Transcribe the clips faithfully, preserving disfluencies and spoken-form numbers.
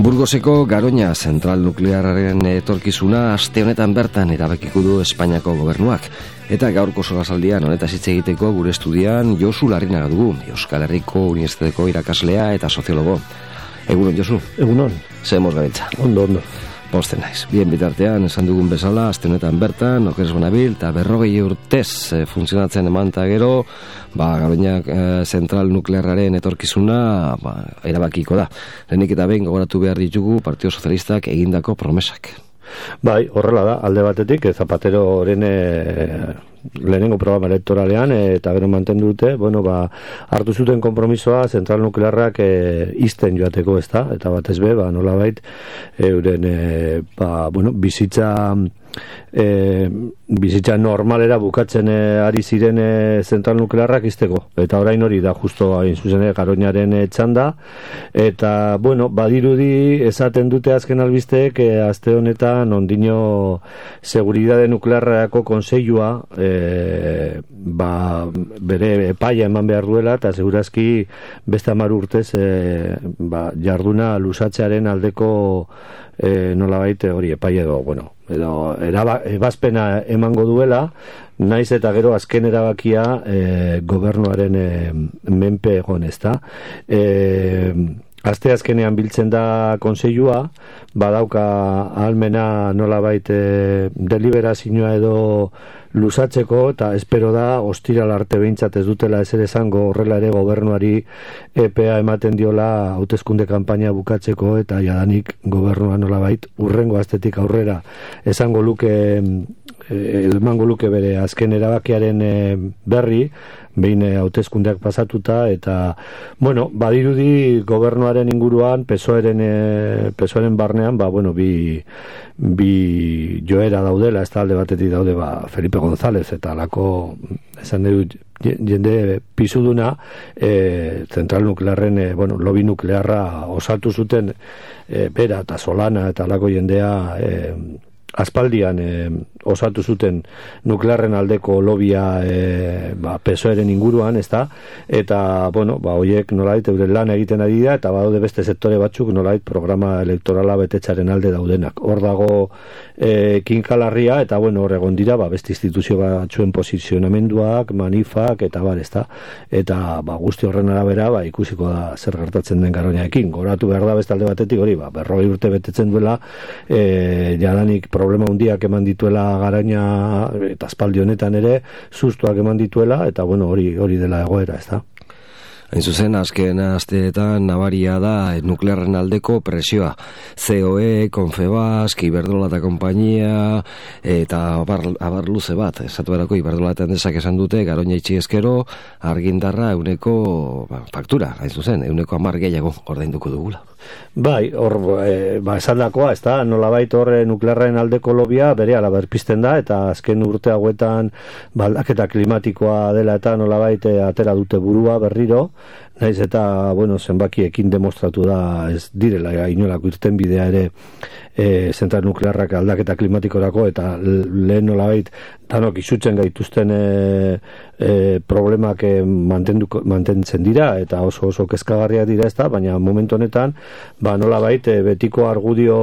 Burgoseko Garoña zentral nuklearraren etorkizuna aste honetan bertan erabakiko du Espainiako gobernuak. Eta gaurko solasaldian honetaz hitz egiteko gure estudian Josu Larrinaga dugu, Euskal Herriko Unibertsitateko irakaslea eta soziologo. Egunon, Josu. Egunon. Zemoz gabiltza. Ondo, ondo. Posten naiz. Bien bitartean, esan dugun bezala, aste honetan bertan, okeres bonabil, eta berrogei urtez e, funtzionatzen eman eta gero, ba, Garoñak e, zentral nuklearraren etorkizuna ba, erabakiko da. Lehenik eta behin gogoratu behar ditugu Partido Sozialistak egindako promesak. Bai, horrela da, alde batetik, Zapateroren e, lehenengo programa elektoralean e, eta gero mantendu dute, bueno, ba, hartu zuten konpromisoa zentral nuklearrak e, izten joateko, ez da, eta batez be, ba, nolabait, euren, e, ba, bueno, bizitza... E, bizitza normalera bukatzen e, ari ziren e, zentral nuklearrak izteko, eta orain hori da justo hain zuzen Garoñaren e, txanda, eta bueno, badirudi esaten dute azken albisteek e, aste honetan ondino seguridade nuklearrako konseilua e, ba, bere epaia eman behar duela, eta segurazki beste hamar urtez e, ba, jarduna lusatzearen aldeko e, nolabait hori epaia edo, bueno, edo eraba, ebazpena emango duela, naiz eta gero azken erabakia e, gobernuaren e, menpe egon, ezta. E, Aste azkenean biltzen da konseilua, badauka ahalmena nolabait e, deliberazioa edo luzatzeko, eta espero da ostiral arte behintzat ez dutela ezer esango, horrela ere gobernuari epea ematen diola hauteskunde kanpaina bukatzeko, eta jadanik gobernua nolabait urrengo astetik aurrera esango luke emango luke bere azken erabakiaren e, berri, behin hauteskundeak pasatuta, eta bueno, badirudi gobernuaren inguruan pesoeren e, pesoeren barnean, ba bueno, bi bi joera daudela, ez talde batetik daude ba Felipe González eta alako esan dut jende pisuduna e, zentral nuklearren e, bueno, lobi nuklearra osatu zuten e, bera eta Solana eta alako jendea e, aspaldian e, osatu zuten nuklearren aldeko lobia e, ba, pesoeren inguruan, ezta? Eta, bueno, ba, hoiek nolait euren lan egiten ari da, eta badaude beste sektore batzuk nolait programa elektorala betetzaren alde daudenak. Hor dago e, kinkalarria, eta, bueno, hor egon dira, ba, beste instituzio batzuen posizionamenduak, manifak, eta bar, ezta? Eta, ba, guzti horren arabera, ba, ikusiko da zer gertatzen den Garoñarekin. Goratu behar da beste alde batetik hori, ba, berrogei urte betetzen duela, e, jadanik problema hundiak eman dituela Garoña eta aspaldi honetan ere sustuak eman dituela, eta bueno, hori hori dela egoera, ezta. Hain zuzen, azken asteetan nabaria da nuklearren aldeko presioa. C O E, Confebask, Iberdrola eta konpainia, eta abar, abar luze bat, esatu erako Iberdrola eta Endesak esan dute, Garoña itxi ezkero, argindarra euneko ba, faktura, hain zuzen, euneko hamar gehiago ordainduko dugula. Bai, hor, e, ba, esan dakoa, ez da, nolabait horre nuklearren aldeko lobia bere ala berpizten da, eta azken urte hauetan baldaketa klimatikoa dela eta nolabait e, atera dute burua berriro, naiz eta, bueno, zenbakiekin demostratu da ez direla inolako irten bidea ere e, zentral nuklearrak aldaketa klimatikorako, eta lehen nolabait danok izutzen gaituzten e, e, problemak e, mantentzen dira, eta oso oso kezkagarriak dira, ez da, baina momentu honetan ba nolabait e, betiko argudio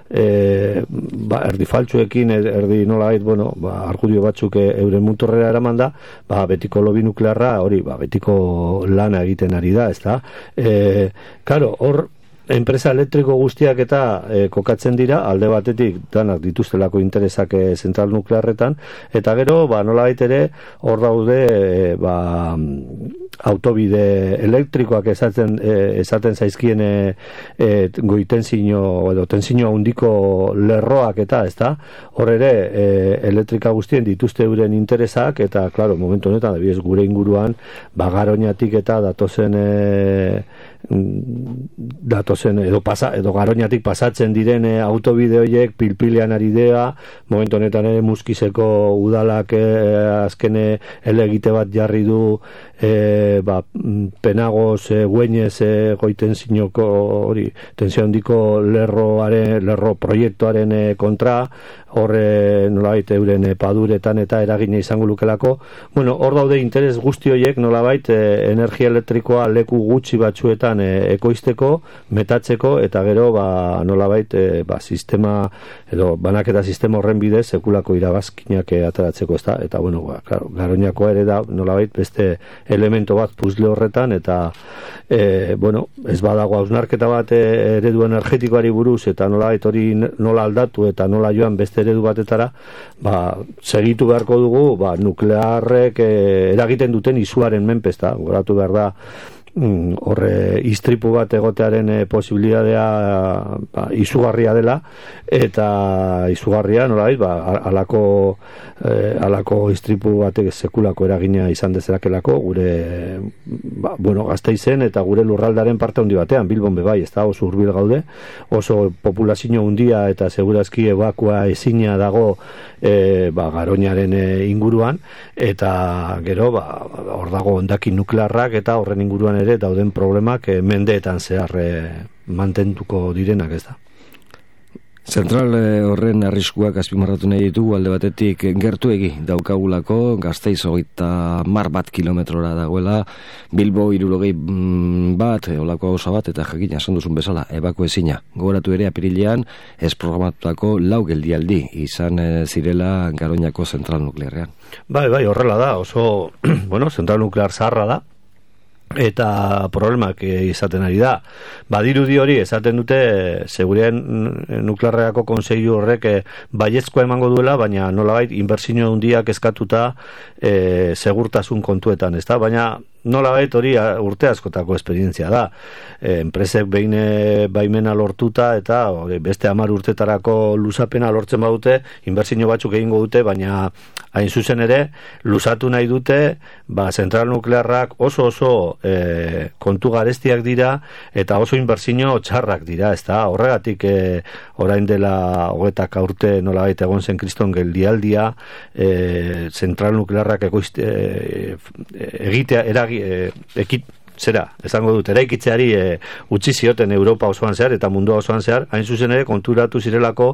e, ba, erdi faltsuekin, erdi nolabait, bueno, ba, argudio batzuk e, euren muturrera eraman da, ba, betiko lobi nuklearra hori, ba, betiko lana egiten ari da, ez da. E, karo, hor enpresa elektriko guztiak eta e, kokatzen dira, alde batetik danak dituztelako interesak e, zentral nuklearretan, eta gero, ba, nolabait ere, hor daude e, ba, autobide elektrikoak esaten, e, esaten zaizkien e, e, goitenzino edo tenzino handiko lerroak eta, ezta? Hor ere, e, elektrika guztien dituzte euren interesak, eta, klaro, momentu honetan, adibidez gure inguruan, ba, Garoñatik eta datozen e, datozen edo pasa edo Garoñatik pasatzen diren e, autobide horiek pilpilean ari dea, momentu honetan ere Muskizeko udalak e, azkene elegite bat jarri du e, ba, penagoz e, guenez e, goiten zinoko hori tensio handiko lerroaren lerro proiektuaren e, kontra, horre nolabait euren paduretan eta eragina izango lukelako. Bueno, hor daude interes guzti horiek nolabait e, energia elektrikoa leku gutxi batzuetan e, ekoizteko, metatzeko eta gero ba, nolabait e, ba, sistema edo banaketa sistema horren bidez sekulako irabazkinak e, ateratzeko, ezta? Eta bueno, ba, claro, Garoñakoa ere da nolabait beste elemento bat puzle horretan eta e, bueno, ez badago hausnarketa bat e, eredu energetikoari buruz eta nolabait hori nola aldatu eta nola joan beste eredu batetara, ba, segitu beharko dugu, ba, nuklearrek eh, eragiten duten izuaren menpe, ezta, goratu behar da, mm, horre istripu bat egotearen eh, posibilitatea ba, izugarria dela, eta izugarria, nolabait, ba, alako, eh, alako istripu batek sekulako eragina izan dezerakelako, gure, ba, bueno, Gasteizen eta gure lurraldaren parte handi batean, Bilbon bebai, ez da, oso hurbil gaude, oso populazio handia eta segurazki ebakua ezina dago e, ba, Garoñaren e, inguruan, eta gero, ba, hor dago hondakin nuklearrak eta horren inguruan ere dauden problemak e, mendeetan zehar e, mantentuko direnak, ez da. Zentral horren arriskuak azpimarratu nahi ditugu alde batetik gertuegi daukagulako, Gasteiz hogeita mar bat kilometrora dagoela, Bilbo hirurogei bat, olako gauza bat, eta jakina esan duzun bezala, ebako ezina. Gogoratu ere apirilean ez programatutako lau geldialdi izan zirela Garoñako zentral nuklearrean. Bai, bai, horrela da, oso, bueno, zentral nuklear zaharra da, eta problemak izaten ari da. Badirudi hori esaten dute seguridad nuklearreko kontseilu horrek baiezkoa emango duela, baina nolabait inbertsio handiak eskatuta e, segurtasun kontuetan, ezta? Baina nolabait hori urte askotako esperientzia da. E, enpresek behin baimena lortuta eta hori, beste hamar urtetarako luzapena lortzen badute, inbertsio batzuk egingo dute, baina hain zuzen ere luzatu nahi dute, ba, zentral nuklearrak oso oso e, kontu garestiak dira eta oso inbertsio txarrak dira, ezta? Horregatik e, orain dela hogetak urte nolabait egon zen kriston geldialdia, e, zentral nuklearrak ekoizte, e, egitea eragi, e, ekit, zera, esango dut, eraikitzeari e, utzi zioten Europa osoan zehar eta mundua osoan zehar, hain zuzen ere konturatu zirelako,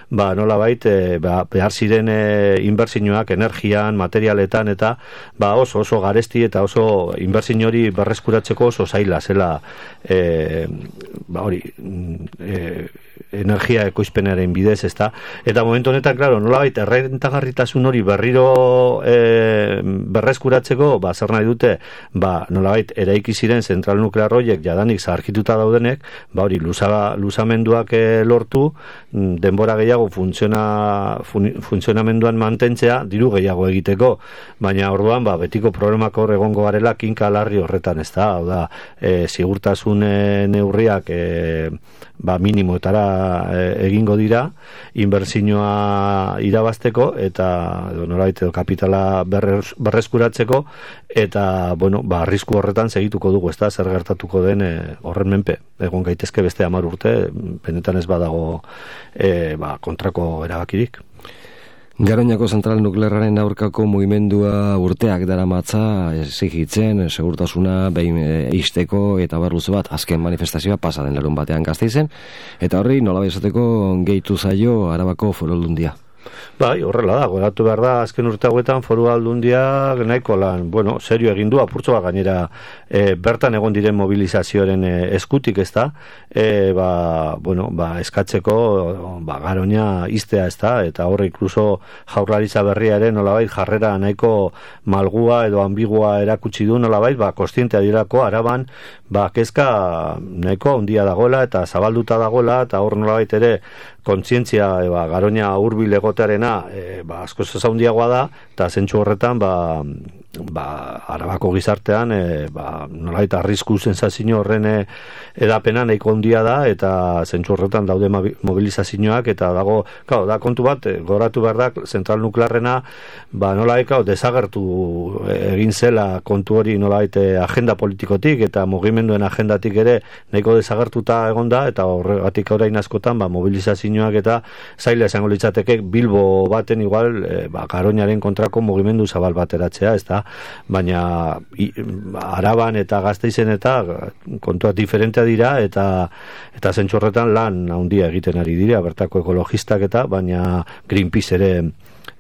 ba, nolabait e, ba, behar ziren e, inbertsioak energian, materialetan eta ba, oso oso garesti eta oso inbertsio hori berreskuratzeko oso zaila zela e, ba, hori e, energia ekoizpenaren bidez, ezta? Eta momentu honetan, claro, nolabait errentagarritasun hori berriro e, berreskuratzeko, ba, zer nahi dute, ba, nolabait eraiki ziren zentral nuklear horiek jadanik zaharkituta daudenek, ba, hori luza, luzamenduak e, lortu, denbora gehiago funtziona, fun, funtzionamenduan mantentzea, diru gehiago egiteko, baina orduan, ba, betiko problemak hor egongo garela kinka larri horretan, ezta? Hau da, e, sigurtasun e, neurriak e, ba, minimoetara egingo dira, inbertsioa irabazteko eta nolabait edo kapitala berrez, berreskuratzeko eta bueno, ba, arrisku horretan segituko dugu, ezta, zer gertatuko den e, horren menpe. Egon gaitezke beste hamar urte, benetan ez badago e, ba, kontrako erabakirik. Garoñako zentral nuklearraren aurkako mugimendua urteak daramatza exigitzen segurtasuna behin eisteko eta barluze bat azken manifestazioa pasa den larun batean Gasteizen eta horri nolabait esateko gehitu zaio Arabako Foru Aldundia. Bai, horrela da, goratu behar da, azken urte hauetan Foru Aldundia nahiko lan, bueno, serio egin du, apurtzo bat gainera e, bertan egon diren mobilizazioaren e, eskutik, ez da, e, ba, bueno, ba, eskatzeko ba, Garoña iztea, ez da, eta horre inkluso jaurlaritza berria ere nolabait jarrera nahiko malgua edo ambigua erakutsi du nolabait, ba, kostientea dirako Araban, ba, kezka nahiko handia dagoela eta zabalduta dagoela, eta hor nolabait ere kontzientzia e, ba, Garoña hurbil egotearena e, ba, asko zaundiagoa da, eta zentsu horretan ba, ba, Arabako gizartean e, ba, nolait arrisku sensazio horren e, edapena nahiko handia da, eta zentsu horretan daude mobilizazioak, eta dago, claro, da kontu bat, e, goratu behar da, zentral nuklearrena ba, nolait, claro, desagertu egin zela kontu hori nolait e, agenda politikotik eta mugimenduen agendatik ere nahiko desagertuta egonda, eta horregatik orain askotan ba, mobilizazioak eta zaila esango litzateke Bilbo baten igual e, ba, Garoñaren kontrako mugimendu zabal bateratzea, ez da, baina i, Araban eta Gasteizen eta kontuak diferentea dira, eta eta zentzu horretan lan handia egiten ari dira bertako ekologistak eta, baina Greenpeace ere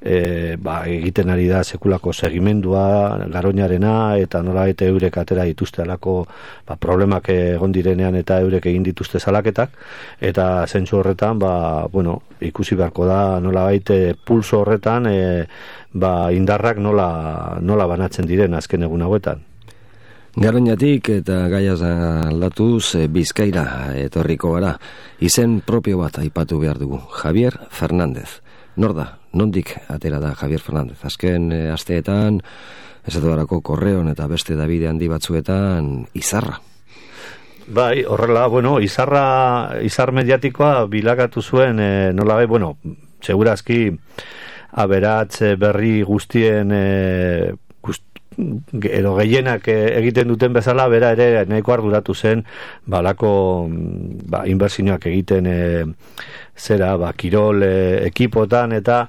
E, ba, egiten ari da sekulako segimendua Garoñarena, eta nolabait eurek atera dituzte alako ba, problemak egon direnean eta eurek egin dituzte salaketak, eta zentzu horretan ba, bueno, ikusi beharko da nolabait e, pulso horretan e, ba, indarrak nola, nola banatzen diren azken egun hauetan. Garoñatik eta gaiaz aldatuz e, Bizkaira etorriko gara. Izen propio bat aipatu behar dugu, Javier Fernández. Nor da, nondik atera da Javier Fernández? Azken e, asteetan, esatuarako Korreon eta beste Davide handi batzuetan, izarra. Bai, horrela, bueno, izarra, izar mediatikoa bilakatu zuen, e, nola bai, bueno, segurazki aberatz berri guztien e, edo gehienak egiten duten bezala, bera ere nahiko arduratu zen balako ba, inbertsioak egiten e, zera, ba, kirol e, ekipotan, eta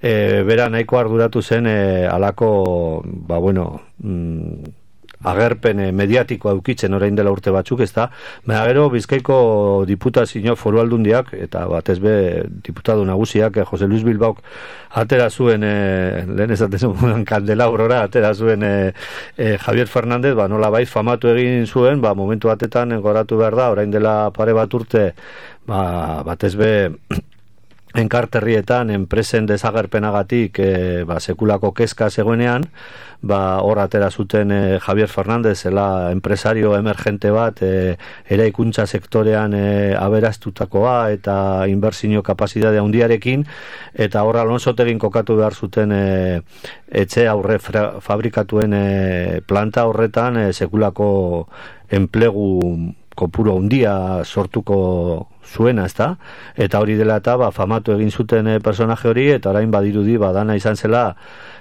e, bera nahiko arduratu zen e, alako ba, bueno, mm, agerpen mediatikoa eukitzen orain dela urte batzuk, ez da, baina gero Bizkaiko diputazio foru aldundiak eta batez be diputatu nagusiak, Jose Luis Bilbaok atera zuen, e, lehen esaten zuen kandelaurora atera zuen e, e, Javier Fernández, ba, nola bai famatu egin zuen, ba, momentu batetan goratu behar da, orain dela pare bat urte, ba, batez be enkarterrietan enpresen desagerpenagatik e, ba, sekulako kezka zegoenean, ba, hor atera zuten e, Javier Fernández zela enpresario emergente bat e, eraikuntza sektorean e, aberastutakoa eta inbertsio kapazitatea handiarekin, eta hor Alonsotegin kokatu behar zuten e, etxe aurre fra, fabrikatuen e, planta horretan e, sekulako enplegu kopuru handia sortuko zuena, ezta? Eta hori dela eta ba, famatu egin zuten e, personaje hori, eta orain badirudi badana izan zela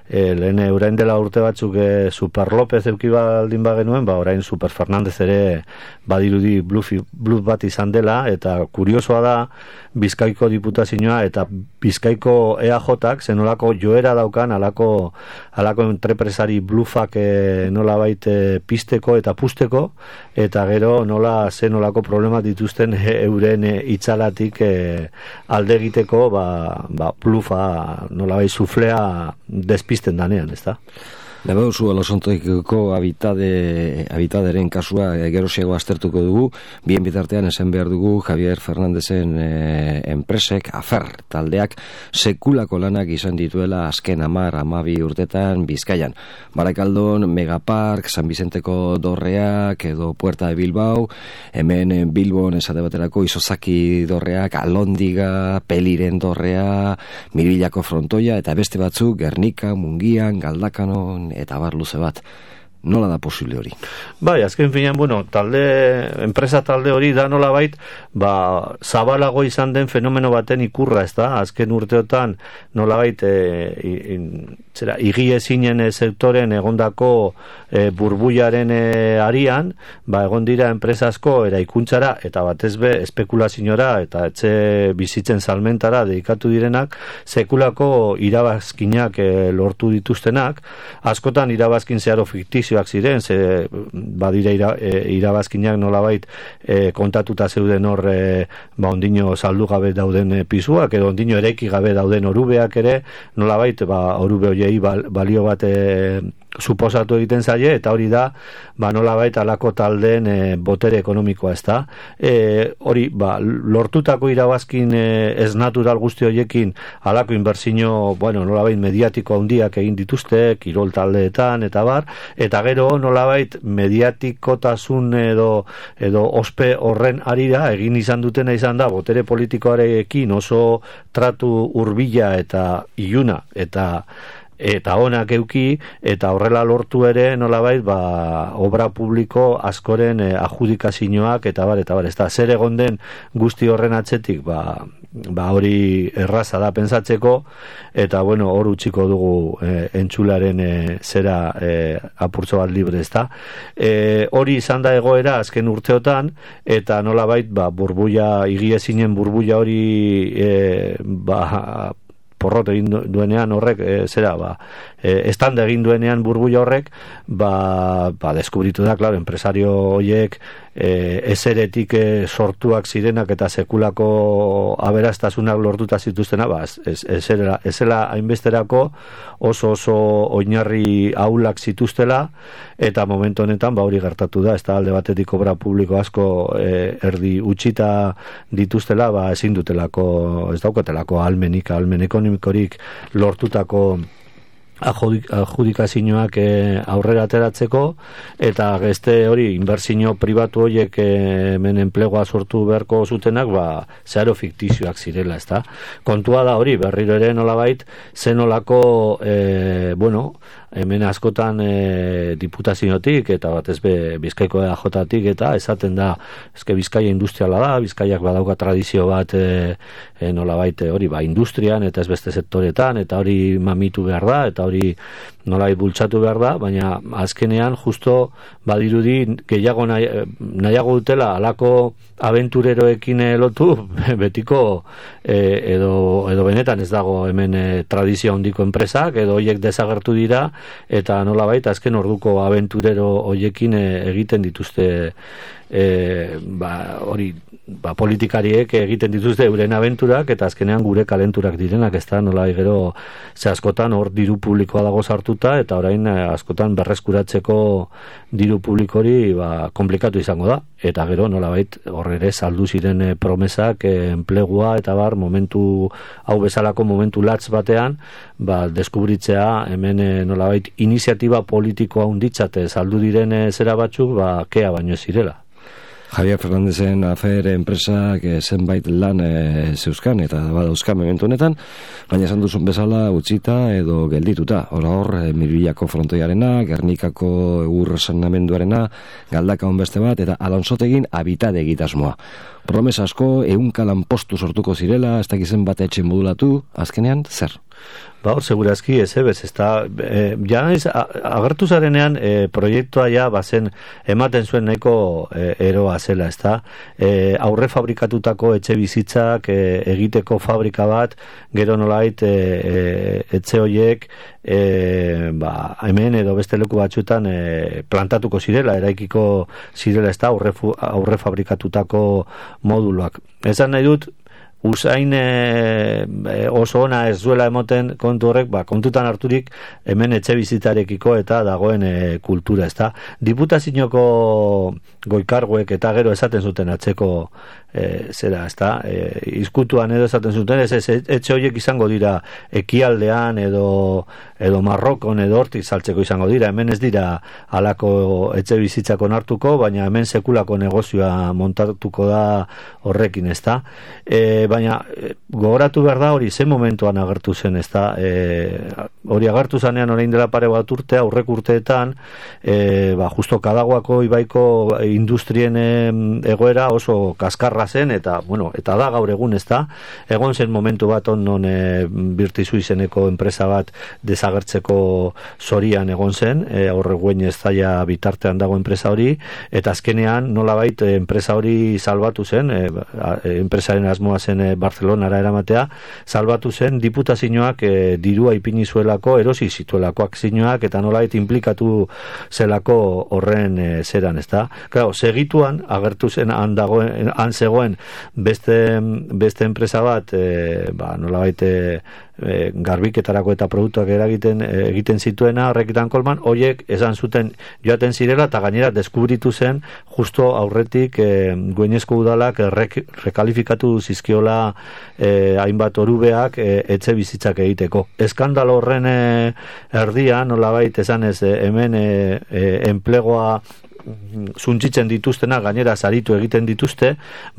e, lehen orain dela urte batzuk e, Super López euki baldin bagenuen, ba, orain Super Fernández ere badirudi bluff, bluff bat izan dela, eta kuriosoa da Bizkaiko diputazioa eta Bizkaiko E A Jak zenolako joera daukan alako, alako entrepresari bluffak e, nola baite pisteko eta pusteko, eta gero nola zenolako problemat dituzten e, euren e, itzalatik e, alde egiteko ba, ba, blufa nola bai suflea despisten danean, ez da? Lebe oso Alosontoiko habitade, habitaderen kasua e, gerosiago aztertuko dugu, bien bitartean esan behar dugu Javier Fernandezen e, enpresek, afer taldeak, sekulako lanak izan dituela azken amar, amabi urtetan Bizkaian. Barakaldon, Megapark, San Vicenteko dorreak, edo Puerta de Bilbao, hemen Bilbon esate baterako Isozaki dorreak, Alondiga, Peliren dorrea, Miribillako frontoia, eta beste batzuk, Gernika, Mungian, Galdakanon, eta bar luze bat. Nola da posible hori? Bai, azken finean, bueno, talde, enpresa talde hori da nola bait, ba, zabalago izan den fenomeno baten ikurra, ez da? Azken urteotan nola bait, e, in, zera, igiezinen e, sektoren egondako e, burbuiaren e, arian, ba, egon dira enpresa asko eraikuntzara, eta batez be, espekulaziora, eta etxe bizitzen salmentara dedikatu direnak, sekulako irabazkinak e, lortu dituztenak, askotan irabazkin zeharo fiktizioak ziren, ze badira ira, e, irabazkinak nolabait e, kontatuta zeuden hor e, ba ondino saldu gabe dauden e, pisuak, edo ondino eraiki gabe dauden orubeak ere, nolabait ba orube hoiei balio bat e, suposatu egiten zaie, eta hori da ba nolabait alako taldeen e, botere ekonomikoa, ez da? E, hori, ba, lortutako irabazkin e, ez natural guzti horiekin alako inbertsio, bueno, nolabait mediatiko handiak egin dituzte, kirol taldeetan, eta bar, eta gero nolabait mediatikotasun edo, edo ospe horren arira egin izan dutena izan da, botere politikoarekin oso tratu hurbila eta iluna, eta eta onak euki, eta horrela lortu ere nolabait ba, obra publiko askoren eh, adjudikazioak eta bar, eta bar, ez da, zer egon den guzti horren atzetik, ba, ba hori erraza da pentsatzeko, eta bueno, hor utziko dugu eh, entzularen eh, zera eh, apurtzo bat libre, ez da. Eh, hori izan da egoera azken urteotan, eta nolabait ba, burbuia, igiezinen burbuia hori eh, ba, porrot egin duenean horrek, e, zera, ba, e, estanda egin duenean burbuila horrek, ba, ba deskubritu da, klaro, enpresario horiek e, ezeretik e, sortuak zirenak eta sekulako aberastasunak lortuta zituztena, ba, ez, ezela, ezela hainbesterako oso oso oinarri ahulak zituztela, eta momentu honetan, ba, hori gertatu da, ez da alde batetik obra publiko asko e, erdi utxita dituztela, ba, ezin dutelako, ez daukatelako almenik, almen ekonomikorik lortutako adjudikazioak e, aurrera ateratzeko, eta geste hori inbertsio pribatu horiek e, hemen enplegua sortu beharko zutenak, ba, zeharo fiktizioak zirela, ezta? Kontua da hori, berriro ere nolabait, zenolako, e, bueno, hemen askotan e, diputaziotik eta batez be Bizkaiko E A J-tik eta esaten da, eske Bizkaia industriala da, Bizkaiak badauka tradizio bat e, e, nolabait hori ba industrian eta ez beste sektoretan, eta hori mamitu behar da, eta hori nolabait bultzatu behar da, baina azkenean justo badirudi gehiago nahi, nahiago dutela alako abentureroekin lotu betiko e, edo, edo benetan ez dago hemen e, tradizio handiko enpresak, edo hoiek desagertu dira, eta nolabait azken orduko abenturero hoiekin e, egiten dituzte e, ba, hori ba, politikariek egiten dituzte euren abenturak, eta azkenean gure kalenturak direnak, ez da nolabait gero ze askotan hor diru publikoa dago sartuta, eta orain askotan berreskuratzeko diru publikori ba, komplikatu izango da, eta gero nolabait hor ere saldu ziren e, promesak e, enplegua eta bar momentu hau bezalako momentu latz batean ba, deskubritzea hemen e, nolabait iniziatiba politikoa hunditzate saldu diren e, zera batzuk ba, kea baino zirela. Javier Fernandezen afer enpresak e, zenbait lan e, zeuzkan eta badauzkan momentu honetan, baina esan duzun bezala utzita edo geldituta. Hora hor, e, Mirbilako frontoiarena, Gernikako egur sanamenduarena, Galdakaon beste bat, eta Alonsotegin habitade egitasmoa. Promesa asko, ehunka lanpostu sortuko zirela, ez dakizen bat etxe modulatu, azkenean, zer? Ba, hor, segurazki, ez ebez, ez da, e, ja naiz, agertu zarenean, e, proiektua ja, bazen, ematen zuen nahiko e, eroa zela, ez da, e, aurre fabrikatutako etxe bizitzak e, egiteko fabrika bat, gero nolait, e, e, etxe horiek, e, ba, hemen edo beste leku batzuetan e, plantatuko zirela, eraikiko zirela, ez da, aurre, aurre fabrikatutako moduluak. Esan nahi dut, usain e, oso ona ez duela emoten kontu horrek, ba, kontutan harturik hemen etxe bizitarekiko eta dagoen e, kultura, ez da. Diputazioko goikarguek eta gero esaten zuten atzeko e, zera, ez da, e, izkutuan edo esaten zuten, ez, ez, etxe horiek izango dira ekialdean edo, edo Marrokon edo hortik saltzeko izango dira, hemen ez dira halako etxe bizitzako nartuko, baina hemen sekulako negozioa montatuko da horrekin, ez da. E, baina gogoratu behar da hori ze momentuan agertu zen, ez da, e, hori agertu zanean orain dela pare bat urte, aurrek urteetan, e, ba, justo Kadaguako ibaiko industrien e, egoera oso kaskarra zen, eta, bueno, eta da gaur egun, ez da, egon zen momentu bat onon e, Birtizu izeneko enpresa bat desagertzeko zorian egon zen, e, horre guen ez daia bitartean dago enpresa hori, eta azkenean nolabait e, enpresa hori salbatu zen, e, e, enpresaren asmoa zen Barcelonara eramatea, salbatu zen diputazioak e, dirua ipini zuelako, erosi zituelako akzioak, eta nolait implikatu zelako horren e, zeran, ez da. Claro, segituan, agertu zen han, dagoen, han zegoen beste, beste enpresa bat, e, ba, nolabait e, e, garbiketarako eta produktuak eragiten e, egiten zituena, horrekitan kolman, hoiek esan zuten joaten zirela, eta gainera deskubritu zen justo aurretik e, Gueñezko udalak rek, rekalifikatu zizkiola eh, hainbat orubeak eh, etxe bizitzak egiteko. Eskandalo horren eh, erdian, nolabait esan ez, eh, hemen eh, eh, enplegoa zuntzitzen dituztena, gainera saritu egiten dituzte,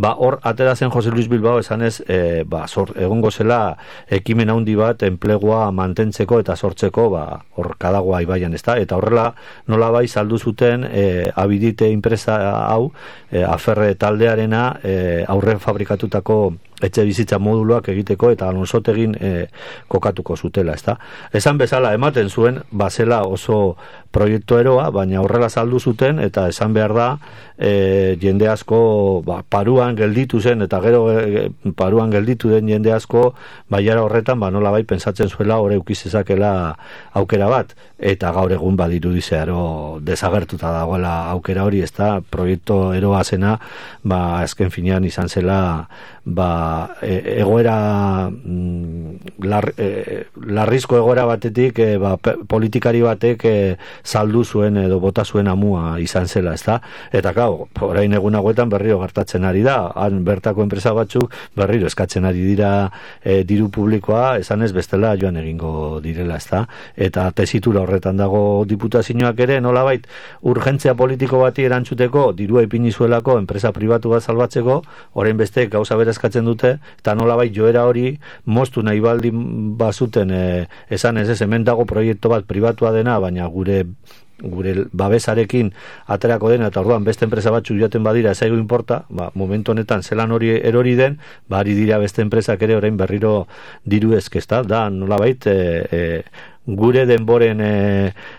ba hor atera zen Jose Luis Bilbao esanez, e, ba sor, egongo zela ekimen handi bat enplegua mantentzeko eta sortzeko, ba hor Kadagoa ibaian, ezta, eta horrela nolabai saldu zuten e, Abidite enpresa hau, e, Aferre taldearena e, aurre fabrikatutako etxe bizitza moduluak egiteko eta Alonsotegin e, kokatuko zutela, ezta. Esan bezala ematen zuen bazela oso proiektu eroa, baina horrela saldu zuten eta esan esan behar da, e, jende asko ba, paruan gelditu zen, eta gero e, paruan gelditu den jende asko, baiara horretan, ba, nola bai, pentsatzen zuela, hor eukizezakela aukera bat, eta gaur egun badiru dizearo desagertuta dagoela aukera hori, ez da, proiektu eroa zena, ba, azken finean izan zela, ba, e, egoera lar, e, larrizko egoera batetik e, ba, politikari batek e, saldu zuen edo bota zuen amua izan zela, ez da? Eta gau, orain egun hauetan berriro gertatzen ari da, han bertako enpresa batzuk berriro eskatzen ari dira e, diru publikoa, esan ez bestela joan egingo direla, ez da? Eta tesitura horretan dago diputazioak ere, nolabait urgentzia politiko bati erantzuteko, dirua ipini zuelako enpresa pribatu bat salbatzeko, orain beste gauza bera eskatzen dute, eta nolabait joera hori moztu nahi baldin bazuten e, esan ez ez, hemen dago proiektu bat pribatua dena, baina gure gure babesarekin aterako dena, eta orduan beste enpresa batzu joaten badira ez aigu inporta, ba, momentu honetan zelan hori erori den, ba, ari dira beste enpresak ere orain berriro diru ezkezta, da nolabait e, e, gure denboren e,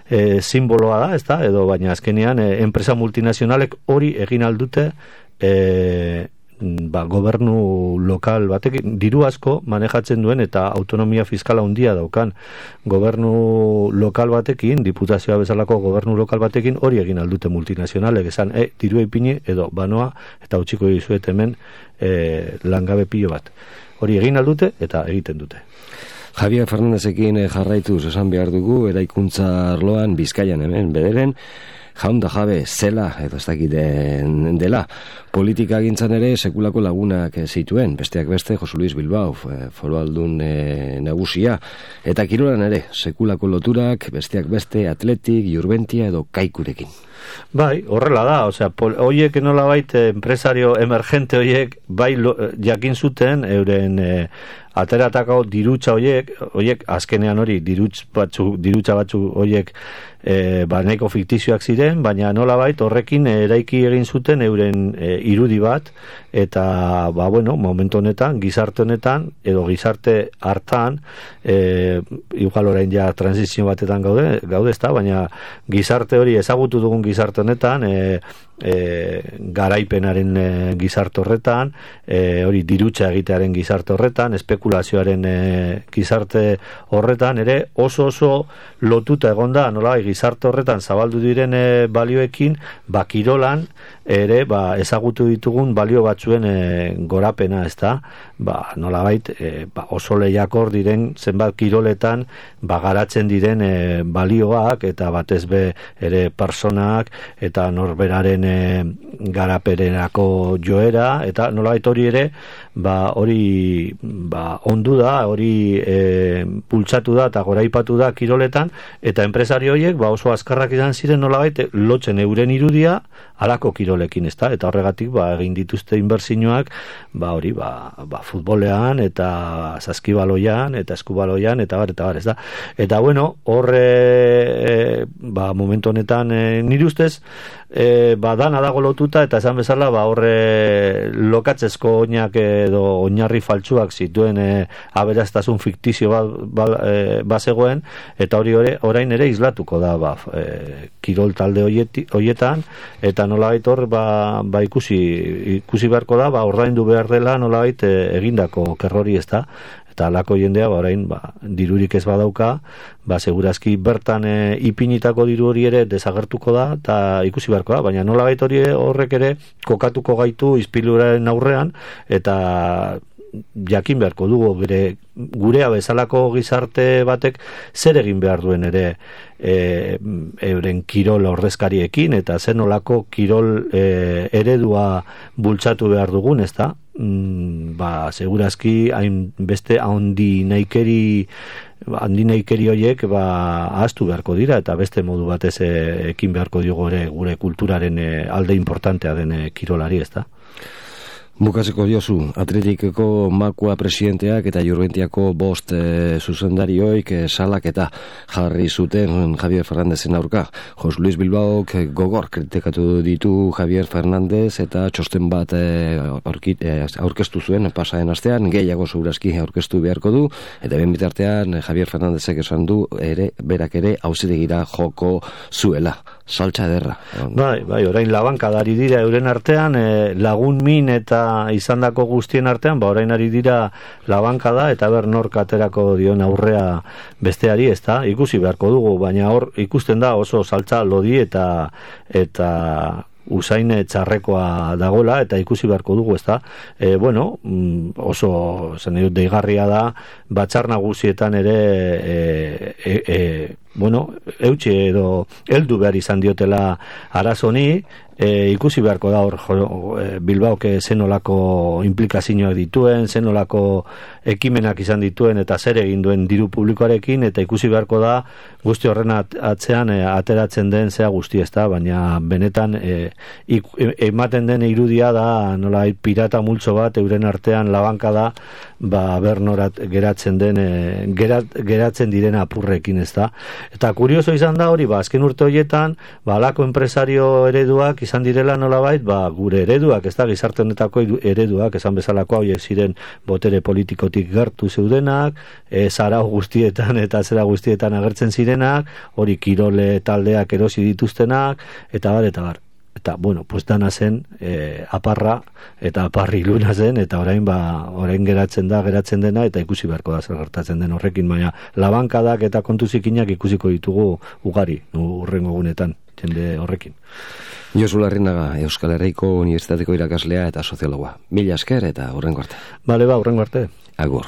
e, simboloa da, ez da, edo baina azkenean e, enpresa multinazionalek hori egin aldute e, ba, gobernu lokal batekin, diru asko manejatzen duen eta autonomia fiskala handia daukan gobernu lokal batekin, diputazioa bezalako gobernu lokal batekin hori egin aldute multinazionalek, esan, e, diru ipini edo banoa eta utziko dizuet hemen e, langabe pilo bat. Hori egin aldute eta egiten dute. Javier Fernandezekin jarraituz esan behar dugu, eraikuntza arloan Bizkaian hemen, bederen, jaun da jabe zela, edo ez dakiten dela. Politika gintzan ere sekulako lagunak zituen, besteak beste Josu Luis Bilbao, foru aldun e, nagusia, eta kirolan ere, sekulako loturak, besteak beste Atletik, Jurbentia edo Kaikurekin. Bai, horrela da, osea, hoiek nola bait, empresario emergente hoiek, bai lo, jakin zuten, euren e, ateratako dirutza hoiek, hoiek azkenean hori, dirutz batzu, dirutza batzu hoiek, e, ba, nahiko fiktizioak ziren, baina nola bait, horrekin eraiki egin zuten euren e, irudi bat, eta, ba, bueno, momentu honetan, gizarte honetan, edo gizarte hartan, e, igual orain ja transizio batetan gaude, gaude ezta, baina gizarte hori ezagutu dugun gizarte honetan, e, e, garaipenaren e, gizarte horretan, e, hori dirutza egitearen gizarte horretan, espekulazioaren e, gizarte horretan, ere oso oso lotuta egonda, nola, gizarte horretan zabaldu diren e, balioekin, ba, kirolan, ere, ba, ezagutu ditugun balio batzuen e, gorapena, ez da, ba, nolabait, e, ba, oso lehiakor diren zenbat kiroletan, ba, garatzen diren e, balioak, eta batez be ere personak, eta norberaren e, garaperenako joera, eta nolabait hori ere, ba, hori ba, ondu da, hori e, pultsatu da, eta goraipatu da kiroletan, eta enpresari horiek, ba, oso azkarrak izan ziren nolabait, lotzen euren irudia, alako kirolekin, ez da, eta horregatik, ba, egin dituzte inbertsioak, ba, hori, ba, ba, futbolean, eta saskibaloian, eta eskubaloian, eta bar, eta bar, ez da. Eta, bueno, horre, e, ba, momentu honetan, e, nire ustez, e, ba, dana dago lotuta, eta esan bezala, ba, horre lokatzezko oinak edo oinarri faltsuak zituen e, aberastazun fiktizio bat ba, e, bazegoen, eta hori ore, orain ere islatuko da, ba, e, kirol talde hoieti, hoietan, eta nolabait hor, ba, ba ikusi, ikusi beharko da, ba, ordaindu behar dela nolabait e, egindako kerrori, ez da, eta alako jendea, ba, orain, ba, dirurik ez badauka, ba, segurazki bertan e, ipinitako diru hori ere desagertuko da, eta ikusi beharko da, baina nolabait hori horrek ere kokatuko gaitu izpiluraren aurrean, eta jakin beharko dugu gure, gurea bezalako gizarte batek zer egin behar duen ere e, euren kirol ordezkariekin, eta zer nolako kirol e, eredua bultzatu behar dugun, ez da? Mm, ba, segurazki hain beste handi naikeri handi naikeri horiek ba, ahaztu beharko dira, eta beste modu batez e, ekin beharko diogo ere gure kulturaren e, alde importantea den e, kirolari, ez da? Bukatzeko diozu, Atletikeko Makua presidenteak eta Jurgentiako bost e, zuzendarioik e, salaketa jarri zuten Javier Fernandezen aurka. Jos Luis Bilbaok e, gogor kritikatu ditu Javier Fernandez eta txosten bat e, aurkit, e, aurkeztu zuen pasaren astean, gehiago segurazki aurkeztu beharko du, eta ben bitartean e, Javier Fernandezek esan du ere, berak ere auzitegira joko zuela. Saltza ederra. Bai, bai, orain labankadari dira euren artean, e, lagun min eta izandako guztien artean, ba orain ari dira labankada eta ber nork aterako dion aurrea besteari, ezta? Ikusi beharko dugu, baina hor ikusten da oso saltza lodi eta eta usain txarrekoa dagola eta ikusi beharko dugu, ezta? E, bueno, oso zen dut deigarria da batzar nagusietan ere e, e, e, bueno, eutxe edo heldu behar izan diotela arazoni, e, ikusi beharko da hor Bilbaoke zenolako implikazioak dituen, zenolako ekimenak izan dituen eta zer egin duen diru publikoarekin, eta ikusi beharko da guzti horren atzean e, ateratzen den zea guzti, ezta, baina benetan e, ik, e, ematen den irudia da nola pirata multzo bat euren artean labanka da, ba bernorat geratzen den e, gerat, geratzen diren apurrekin, ezta. Eta kurioso izan da hori, ba azken urte horietan, ba alako enpresario ereduak izan direla nolabait, ba gure ereduak, ez da, gizarte honetako ereduak, esan bezalako hauek ziren botere politikotik gertu zeudenak, e, zarau guztietan eta zera guztietan agertzen zirenak, hori kirole taldeak erosi dituztenak, eta bar, eta bar. Eta, bueno, pues dana zen e, aparra eta aparri luna zen, eta orain ba, orain geratzen da, geratzen dena, eta ikusi beharko da zer gertatzen den horrekin, baina labankadak eta kontuzikinak ikusiko ditugu ugari, urrengo gunetan, jende horrekin. Josu Larrinaga, Euskal Herriko Unibertsitateko irakaslea eta soziologoa. Mila esker eta urrengo arte. Bale, ba, urrengo arte. Agur.